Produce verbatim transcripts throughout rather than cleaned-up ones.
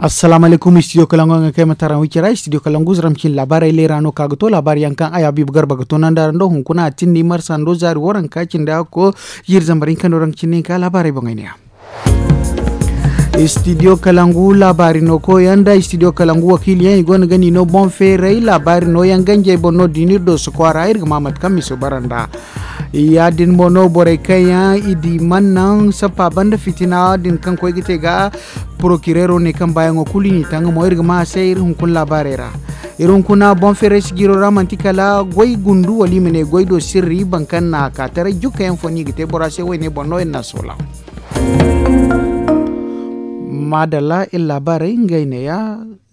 Assalaamu alaykum, studio kalangu yaŋ ga kay ma tara wicira studio kalangu zaram cin laabaarey leera no ka ga to laabaari yaŋ kaŋ a ya biiba garba ga to nanda ra nda hunkuna a tinni marsa ndo zaari waranka cindi hakko jiiri zambar hinka no raŋ cindi hinka laabaarey boŋey ne ya. Studio kalangu laabaari no koyaŋ nda studio kalangu wakiili yaŋ i go no ga ni no boŋ feeray laabaari no yaŋ ganjey boŋ no din iri do sokwaara iri ga ma mate kaŋ miso bara nda. Ya- din mo no borey kaŋ yaŋ i di man naŋ sappa banda fitina din kaŋ koy ga te ga porokireero ne kaŋ baayaŋo kulu i n'i taŋ mo iri ga ma a se iri hunkuna laabaarey ra. Iri hunkuna boŋ feeray sijiro ra manti kala goy gundu wala i ma ne goy do sirri baŋ kaŋ na a ka taray jukka yaŋ fo no i ga te bora se woyne boŋ no iri na a soola. Maadalla iri laabaarey ngey ne ya.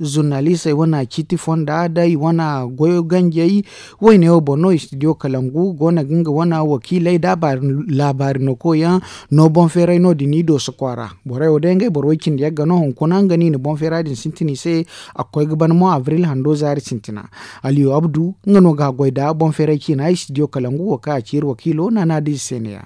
Zurnalisey wane ciiti fonda da i wane goyo ganjey. Woyne wo boŋ no studio kalangu go no ga nga wane wakiiley da laabaari no koyaŋ no boŋ feeray no- din i dooso kwaara. Borey wo day ngey boro way cindi yagga no hunkuna nga no i na boŋ feera din sintin i se. A ga koy ga ban mo abril hando zaari sintina. Aliyu abdu nga no ga a goy da boŋ feeray ciina studio kalangu wo kaŋ a ci iri wakiilo naana da ize se ne ya.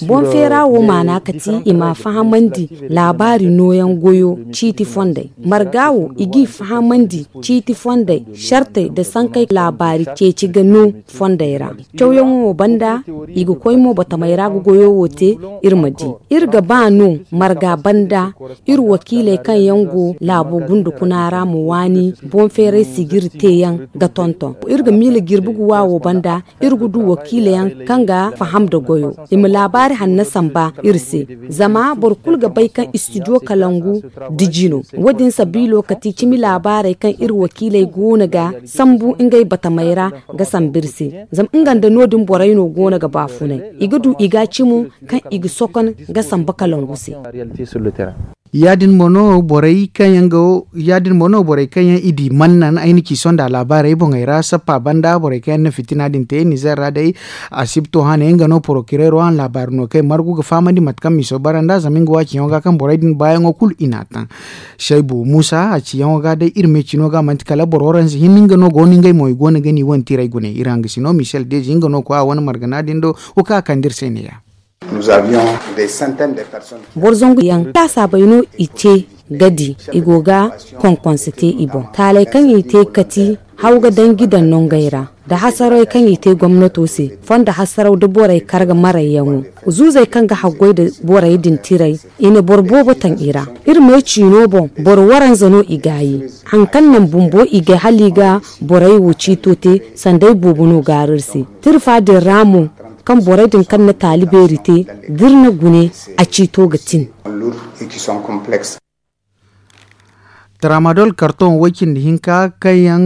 Boŋ feera wo maana ga ti i ma fahamandi laabaari nooyaŋ goyo ciiti fondey marga wo i g'i fahamandi ciiti fondey sartey nda sankey laabaari ceeci ga no fondey ra. Cawyaŋo wo banda i ga koy mo batamey ra ga goyo wo te. Iri ma di iri ga ba no marga banda iri wakiiley kaŋ yaŋ go laabo gunda kuna ra ma waani boŋ feeray sijiri teeyaŋ ga tonton iri ga miila jirbi ga wa wo banda. Iri ga du wakiila yaŋ kaŋ ga faham nda goyo i ma laabaari hanna samba iri se. Zama boro kulu ga bay kaŋ istidiyo kalangu diji no. Wo- din sabiilo kati cimi laabaarey kaŋ iri wakiiley go no ga sambu ngey batamey ra ga samba iri se. Zama nga nda no- din borey no go no ga baafunay i ga du i ga cimo kaŋ i ga sokon ga samba kalangu se. Ya- din mo no borey kaŋ yaŋ i di mannan ay na ci sonda laabaarey boŋey ra sappa banda borey kaŋ yaŋ na fitina din te nizer ra day. Asibto hane nga no porokireero hane laabaari no kaŋ ay margu ga fahamandi mate kaŋ miso bara nd'a zama nga wo a ciyaŋo ga kaŋ borey din baayaŋo kulu i n'a taŋ. Saybu muusa a ciyaŋo ga day iri ma ay cino ga manti kala boro waranza hinne nga no go no ngey mo i go no ga ni wane tiray gune iri hangasino misel deezi nga no koy a wane margana din do. Wo kaŋ a kande iri se ne- ya. Boro zangu yaŋ laasaabey no i te ga di i go ga konkonse te i boŋ taaley kaŋ i te kati haw ga danji daŋ nongey ra nda hasarawey kaŋ i te gomnato se fondo hasaraw da borey kar ga marayyaŋo. Zuuzey kaŋ ga haggoy nda borey din tiray i na boro boobo taŋ i ra. Iri ma ay ciino boŋ boro waranza no i gaayi. Hari kaŋ naŋ bumbo i gay hala i ga borey wo ciito te sanda ay boobo no gaaru iri se. Tirfa din ra mo kaŋ borey din kaŋ na taali beeri te da iri na gune a ciito ga tin. Tramadol karton way-cindi hinka kaŋ yaŋ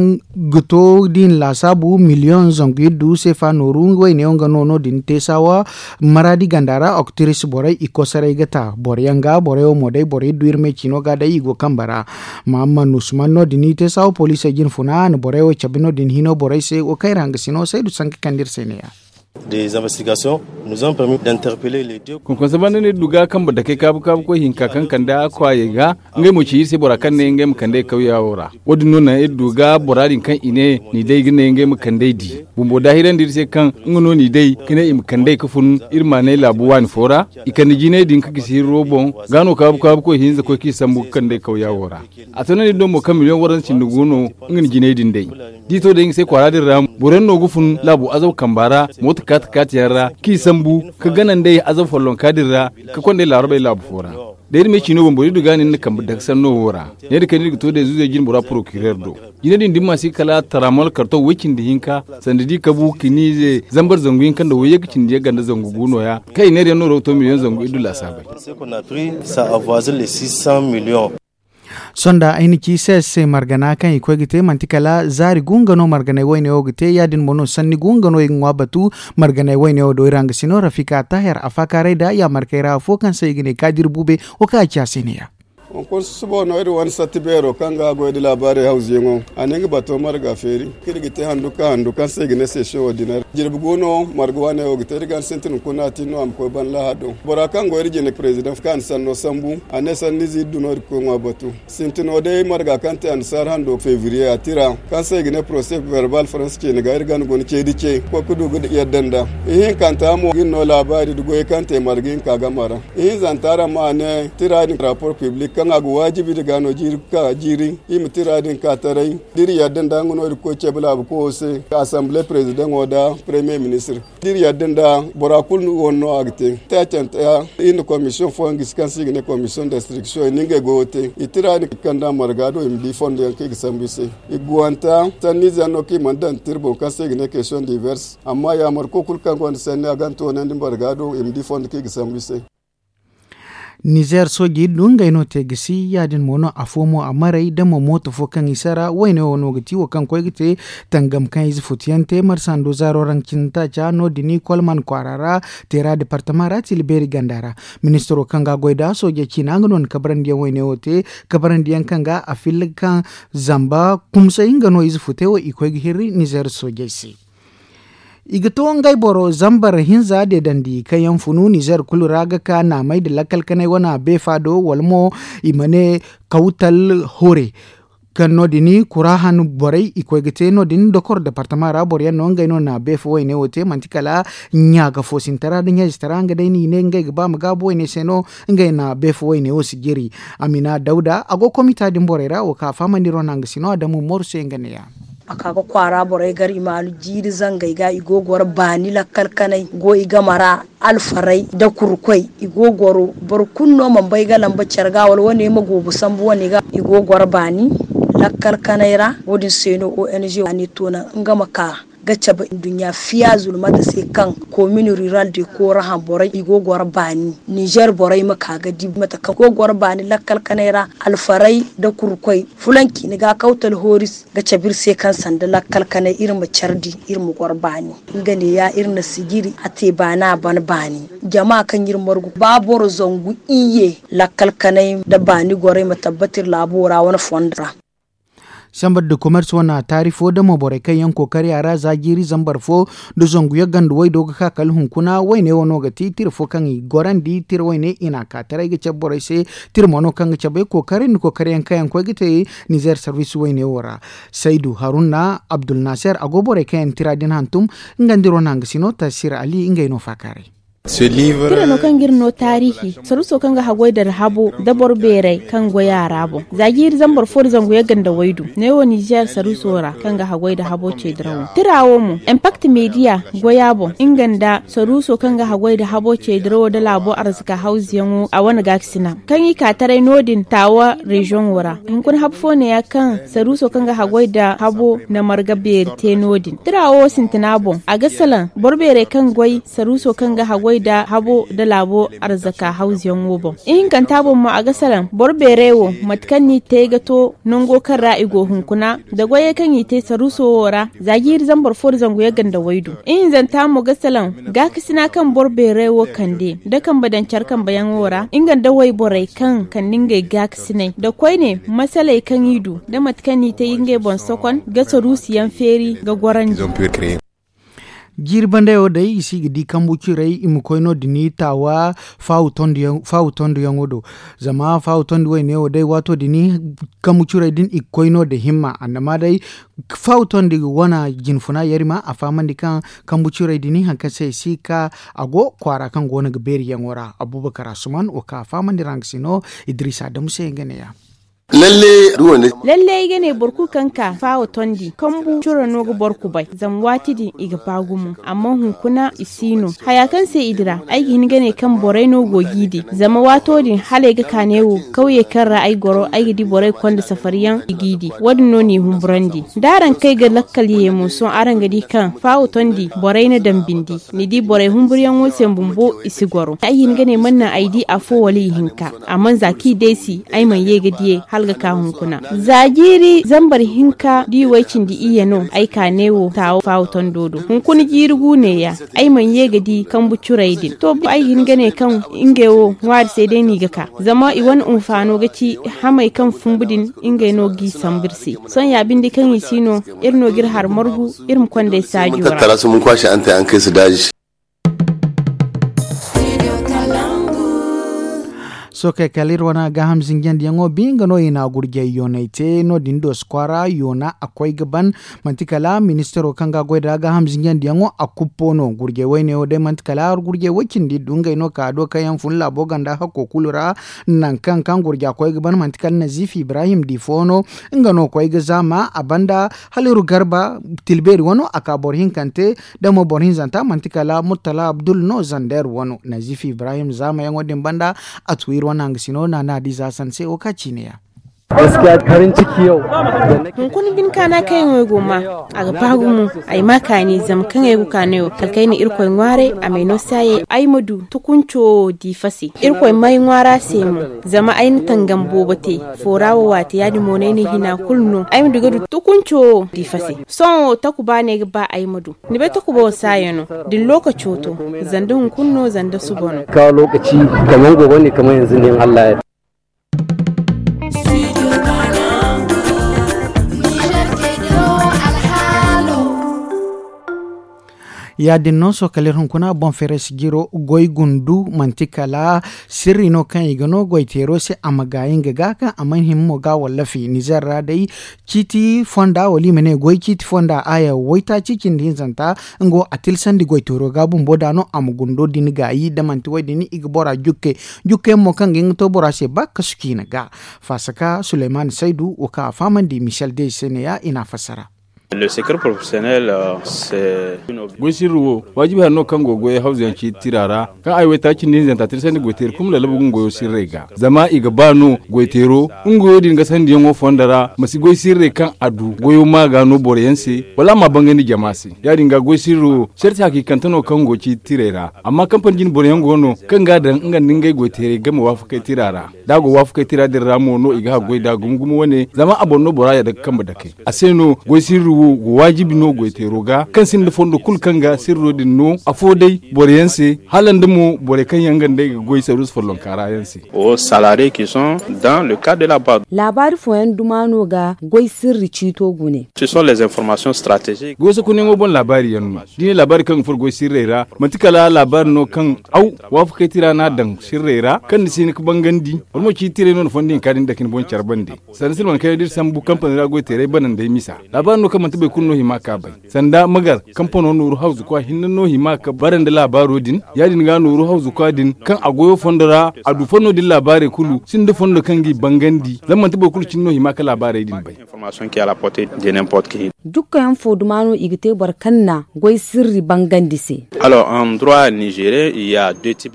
ga to da i na laasaabu miliyoŋ zangu iddu seefa nooru wayne wo nga no no- din teesawa. Maraadi ganda ra oktiris borey i kosoray ga ta boro yaŋ ga borey wo mo day boro iddu iri me ciino ga day i go kambe ra. Mahamman usman no- din i teesawa poliisey jine funa a na borey wo cabe no- din hino borey se wo kaŋ iri hangasino saydu sanka kande iri se ne- ya. Konkonse banda no iri du ga kambe dakey kaabu kaabu koy hinka kaŋ kande a kwaayey ga ngey mo ci iri se bora kaŋ ne ngey ma kand'ey kawya wo ra. Wo- din no naŋ iri du ga bora din kaŋ i ne ni day ga ne ngey ma kand'ey di. Bumbo daahirandi iri se kaŋ nga no ni day ka ne i ma kand'ey ka fun iri maanay laabu waani fo ra. I kande jinay din ka gisi hirro boŋ ga no kaabu kaabu koy hinza koy k'i sambu ga kand'ey kawya wo ra. A to no ni do mo kaŋ miliyoŋ waranza cindi go no nga na jinay din day. Da i to day nga se kwaara din ra boro yaŋ no ga fun laabu azaw kamba ra mooto kaati kaati yaŋ ra k'i sambu ka gana nd'ey azaw follonka din ra ka konda ay laarabey laabu fo ra. Da iri ma ay ciino boŋ boro iri du ga nin na kambe daga sanno wo ra. Ne da kayna iri ga to day zuuzey jine bora porokireer do. Jine din dimma si kala taramol karto way cindi hinka sanda da i kabu kiniize zambar zangu hinka nda wayye ga cindi yagga nda zangu gu nooya kaŋ i neera yaŋ no ra ga to miliyoŋ zangu iddu laasaabey. Sonda ay na ci se se margana kaŋ i koy ga te manti kala zaari gu nga no marganay wayne wo ga te ya- din mo no sanni gu nga no i ga ŋwa batu. Marganay wayne wo do iri hangasino rafika taher a faakaaray da yaamarkey ra afo kaŋ se i ga ne kaadir buube. Wo kaŋ a ci a se ne- ya. Hunkuna susubo no iri wane satti beero kaŋ ga goy nda laabaarey hawzuyaŋo, a na nga bato marga feeri kaŋ iri ga te handu ka handu kaŋ se i ga ne sesiyoŋo dinar. Jirbi gu no marga waaney wo ga te iri ga sintin hunkuna a tin no a ma koy ban lahado. Bora kaŋ go iri jine perezidaŋ kaŋ a na sanno sambu, a ne sanniize iri du no iri ga koy ŋwa batu. Sintino day marga kaŋ te annasaara hando febriye a tira kaŋ se i ga ne porose verbal faransa ceeni ga iri gana guna ceedi ce koy ga du ga yadda nd'a. Ihinkanta mo ga iri no laabaari nda goyey kaŋ te marga hinka game ra. Ihinzanta ra mo a ne tira din rapor piblik kaŋ a ga waajibi iri ga no jiiri ga ka jiiri iri ma tira din ka taray da iri yadda nd'a nga no iri ga koy ceebe laabu koyo se asanbile perezidaŋo nda paremiye ministir. Da iri yadda nda bora kulu wane no a ga te taacanta iri na komisiyoŋ fooyaŋ gisi kaŋ se i ga ne komisiyoŋ d'instriksiyoŋ i na ngey goyo te i tira din kaŋ da marga do i ma di fondo yaŋ kaŋ i ga sambu i se. I ga guwanta sanniize yaŋ no kaŋ i mana daŋ tira boŋ kaŋ se i ga ne kesiyoŋ divers amma yaamarko kulu kaŋ gonda sanni a gana toonandi marga do i ma di fondo kaŋ i ga sambu i se. Nizer soojey du ngey no te ga si ya- din mo no afo mo a maray da mo mooto fo kaŋ i sara wayne wo no ga ti wo kaŋ koy ga te tangam kaŋ ize futuyaŋ te marsando zaaro ra nga cine taaca no- din kolman kwaara ra, teera departama ra tila beeri ganda ra. Ministiro kaŋ ga a goy nd'a soojey ciina nga no na kabarandiyaŋ wayne wo te, kabarandiyaŋ kaŋ ga a filla ga kaŋ zamba kumsay nga no ize futey wo i koy ga hirri nizer soojey se. I ga to ngey boro zambar hinza deedandi kaŋ yaŋ funu nizer kulu ra ga ka naamey nda lakkal kanay wana beefa do wala mo i ma ne kawtal hore. Kaŋ no- din kura han borey i koy ga te no- din dokor departama ra boro yaŋ no ngey no na beefa wayne wo te manti kala ɲaaga fo sintara nda ɲaazitara nga day no i ne ngey ga ba ma gaabu wayne se no ngey na beefa wayne wo si jiri. Amina dawda a go komita din borey ra wo kaŋ a fahamandi ro na nga si no adamu moru se nga ne ya. A ka ga kwaara borey gar i maanu jiiri zangey ga i go goro baani lakkal kanay go i game ra. Alfaray nda kurkoy i go goro boro kulu no mana bay ga lamba care ga wala wane ma goobu sambu wane ga i go goro baani lakkal kanay ra. Wo- din se no ong a ne to naŋ nga ma ka ga cabe nduɲɲa fiya zulmata se kaŋ komin rural de korahan borey i go goro baani nizer borey ma ka ga di mate kaŋ go goro baani lakkal kanay ra. Alfaray nda kurkoy fulanci ni ga kawtal hooris ga cabe iri se kaŋ sanda lakkal kanay iri ma care di iri ma goro baani. Nga ne ya iri na sijiri a te baani a ban baani jama kaŋ iri margu ba boro zangu iyye lakkal kanay nda baani gorey ma tabbati iri laabo ra wane fondo ra. Sambar da komers wane taari fo damo borey kaŋ yaŋ kookari a ra za jiiri zambar fo nda zangu yaŋ ganda waydo ga ka kala hunkuna wayne wo no ga ti tira fo kaŋ i gorandi tira wayne i na a ka taray ga cabe borey se. Tira mo no kaŋ ga cabe kookari nda kookari yaŋ kaŋ yaŋ koy ga te nizer sarbis wayne wo ra. Saydu haruna abdulnaser a go borey kaŋ yaŋ tira din hantum. Nga nda iri wane hangasino tasir ali ngey no faakaaray. Tira no kaŋ ga iri no taarihi saruuso kaŋ ga haggoy da habo da boro beeray kaŋ goy a ra boŋ za jiiri zambar fo da zangu yagga nda waydu neewo nizer saruuso ra kaŋ ga haggoy da habo ceedirawo tira wo mo impakt meediya goy a boŋ nga nda saruuso kaŋ ga haggoy da habo ceedirawo da laabo arzaka hawzuyaŋo a wane gaakasina kaŋ i ka taray no- din taawa reziyoŋo ra. Hunkuna habo fo neeya kaŋ saruuso kaŋ ga haggoy da habo na marga beeri te no- din tira wo sintina boŋ a ga salaŋ boro beeray kaŋ goy saruuso kaŋ ga haggoy da habo da laabo arzaka hawzuyaŋo boŋ. Ihinkanta boŋ mo a ga salaŋ boro beeray wo mate kaŋ no i te ga to nango kaŋ ra i go hunkuna da goyey kaŋ i te saruuso wo ra za jiiri zambar fo da zangu yagga nda waydu. Ihinzanta mo ga salaŋ gaakasina kaŋ boro beeray wo kande da kambe daŋ care kambeyaŋo ra nga nda wayborey kaŋ kande ngey gaakasinay da koyne masaley kaŋ i du da mate kaŋ no i te ngey boŋ sokon ga saruusuyaŋ feeri ga gorandi. Jiiri bandayo day i si ga di kambu curey i ma koy no- din taawa faawu tonduyaŋo do. Zama faawu tondi wayne wo day waato din kambu curey din i ga koy no- din himma annama day faawu tondi wane jinfuna yarima a fahamandi kaŋ kambu curey din hari kaŋ se i si ga ka a go kwaara kaŋ go no ga beeriyaŋo ra abuubakar asuman wo kaŋ a fahamandi ra nga si no. Idiriisa adamu se nga ne ya. Lalle ay ga ne boro kulu kaŋ ka faawo tondi kambu curo no ga boro kubay zama waati din i ga ba gumo amma hunkuna i si no. Haya kaŋ se i dira ay ga hin ga ne kaŋ borey no go g'i di zama waato din hala ay ga ka neewo kawye kaŋ ra ay goro ay ga di borey konda safariyaŋ i g'i di. Wo- din no n'i humburandi da araŋ kay ga lakkal ye mo sohõ araŋ ga di kaŋ faawo tondi borey na daŋ bindi. Ni di borey humburyaŋo se bumbo i si goro ay hin ga ne man naŋ ay di afo wala ihinka. Amma za kaŋ i deesi ay mana ye ga diyey. Alga ka hunkuna za jiiri zambar hinka da i way cindi iyye no ay ka ne wo taawo faawo tondo do hunkuna jiiri gu neeya. Ay mana ye ga di kambu curey din to ay ga hin ga ne kaŋ ngey wo ŋwaari se day no i ga ka. Zama i wane hunfaano ga ci hamey kaŋ fumbu din ngey no g'i sambu iri se. Sohõ ya binde kaŋ i si no iri no ga iri hari margu iri ma konda ay saajo ra. Sookey kala iri wane gaaham zinjandiyaŋo bi nga no i na gurjey yoonay te no- din dooso kwaara yoona a koy ga ban. Manti kala ministaro kaŋ ga a goy nd'a gaaham zinjandiyaŋo a kuppo no gurjey woyne wo day manti kala gurjey woy cindi du ngey no ka do kaŋ yaŋ fun laabo ganda hakko kulu ra. Nangu kaŋ kaŋ gurja koy ga ban manti kala naziif ibrahim di fo no. Nga no koy ga zaama a banda hala iri garba tilbeeri wano a ka boro hinkante. Da mo boro hinzanta manti kala murtala abdul no zander wano naziif ibrahim zaamayaŋo din banda. A tu iri wane hangasino naana di za sanse wo ka ciine ya. Hunkuna bine kaana kaŋ ay go ma a ga ba gumo. Ay ma kaani zama kaŋ ay go kaanay wo kala kaŋ ay na irkoy ŋwaaray a m'ay no saayey ay ma du tukunco wo diifa se. Irkoy m'ay ŋwaara se mo zama ay na tangam boobo te. Foora wo waate ya- din mo no ay na hina kulu no ay ma du ga du tukunco wo diifa se. Sohõ wo takuba no ay ga ba ay ma du. Ni bay takuba wo saaya no da ni lookaco to. Zanda hunkuna no zanda suba no. Kawo lookaci kaman gogo ne kaman yanzu ne in allah ya. Ya- din no sohõ kala iri hunkuna boŋ feeray sijiro goy gundu manti kala sirri no kaŋ i ga no goy teero se a ma gaayi nga ga kaŋ a mana hima mo ga wallafi nizer ra day. Ciiti fonda wala i ma ne goy ciiti fonda aya waytaaci cindi hinzanta. Nga wo a tilsandi goy teero ga bumbo da no a ma gundo din gaayi da manti wo- din i ga bora jukke. Jukkayaŋ mo kaŋ ga hin ga to bora se ba kasu ciine ga. Faasaka suleyman saydu wo kaŋ a fahamandi michel dey se ne- ya i n'a fassara. Goy sirri wo waajibi hari no kaŋ go ga goyey hawzu yaŋ ciiti tira ra. Kaŋ a ye waytaaci nda hinzanta tirsandi goy teeri kulu ma lallabu ga nga goyo sirrey ga zama i ga ba no goy teero nga goyo din gasandiyaŋo fondo ra ma si goy sirrey kaŋ a du goyo ma ga no boro yaŋ se wala a ma bangandi jama se. Ya- din ga goy sirri wo sarti hakiikante no kaŋ go ciiti tirey ra. Amma kampani jine boro yaŋ go no kaŋ ga a daŋ nga nda ngey goy teerey game waafakey tira ra. Da a go waafakey tira din ra mo no i ga haggoy nd'a gumo gumo wane zama a boŋ no bora yadda ga kambe dakey. A se no goy sirri wo go waajibi no goy teero ga kaŋ sinda fondo kulu kaŋ ga sirro din no afo day boro yaŋ se hala nda mo borey kaŋ yaŋ nga nd'ey ga goy saruusu follonka ra yaŋ se. Laabaari fooyaŋ duma no ga goy sirri ciito gune. Goy sakunyaŋo boŋ laabaari yaŋ no da i ne laabaari kaŋ ga furo goy sirrey ra. Manti kala laabaari no kaŋ aw waafakey tira no a daŋ sirrey ra kaŋ ni si hin ga bangandi wala mo ciiti tirey no ni fondo hinka din dake ni boŋ care bande. Sanda silman kayna da iri sambu kampani ra goy teeray banandey misa laabaari no kaŋ manti boro kulu no hima ka bay. Sanda magar kampano nooru hawzu kwa hinne no hima ka bara nda laabaaro din. Ya- din ga nooru hawzu kwa din kaŋ a goyo fondo ra a du fondo din laabaarey kulu sinda fondo kaŋ g'i bangandi zama manti boro kulu cine no hima ka laabaarey din bay. Jukkayaŋ fo duma no i ga te boro kaŋ na goy sirri bangandi se.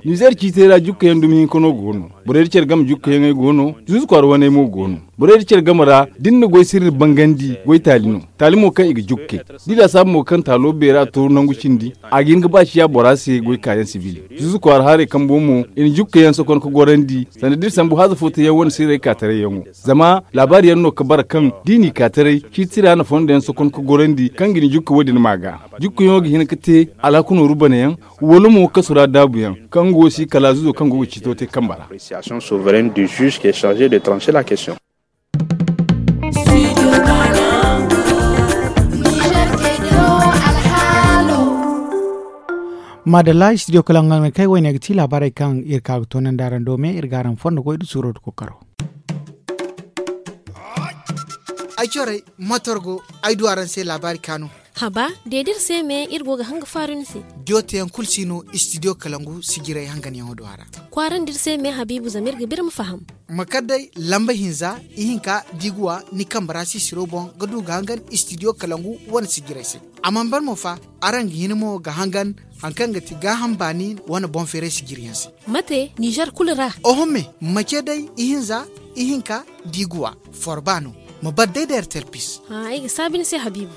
Nizer ciitey ra jukkayaŋ dumi hinka no go no. Borey da care game jukkayaŋey go no. Zuzu kwaara waney mo go no. Borey da care game ra da ni na goy sirri bangandi goy taali no. Taali mo kaŋ i ga jukkay da i laasaabu mo kaŋ taalo beera tooru nangu cindi. A ga hin ga ba ciya bora se goy kaayaŋ sibil. Zuzu kwaara haray kambo mo i na jukkayaŋ sokon ga gorandi sanda da iri sambu haaza fo teyaŋ wane sirrey kaataray yaŋo. Zama laabaari yaŋ no ga bara kaŋ da i n'i kaataray ciiti ra na fondo yaŋ sokon ga gorandi kaŋ ga ni jukka wo- din ma ga. Jukkayaŋo ga hin ga te alhaku nooru banayaŋ wala mo kasu ra daabuyaŋ kaŋ go si kala zuzo kaŋ go ga ciito te kambe ra. Maadalla istidiyo kala nga kay wayne ga ti laabaarey kaŋ iri ka ga toonandi araŋ do me iri ga araŋ fondo goy da suuro da kookaro. Ay corey motor go ay du araŋ se laabaari kaanu. Haba de da iri se me iri go ga hanga faaru ni se. Jooteyaŋ kulu si no istidiyo kalangu sijirey hanganyaŋo do a ra. Kwaarandi iri se me habiibu zama iri ga ba iri ma faham. Ma kar day lamba hinza ihinka da i ga wa ni kambe ra sisiro boŋ ga du ga hangan istidiyo kalangu wane sijirey se. A mana ban mo fa araŋ ga hin mo ga hangan hari kaŋ ga ti gaaham baani wane boŋ feeray sijiriyaŋ se. Mate nizer kulu ra. Oho me ma ce day ihinza ihinka da i ga wa forba no. Ma bar day da ertel pis. Ay ga saabi ni se habiibu.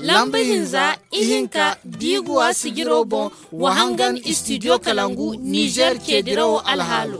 Lamba hinza ihinka da i ga wa sijiro boŋ wa hangan istidiyo kalangu nizer ce dirawo alhaalo.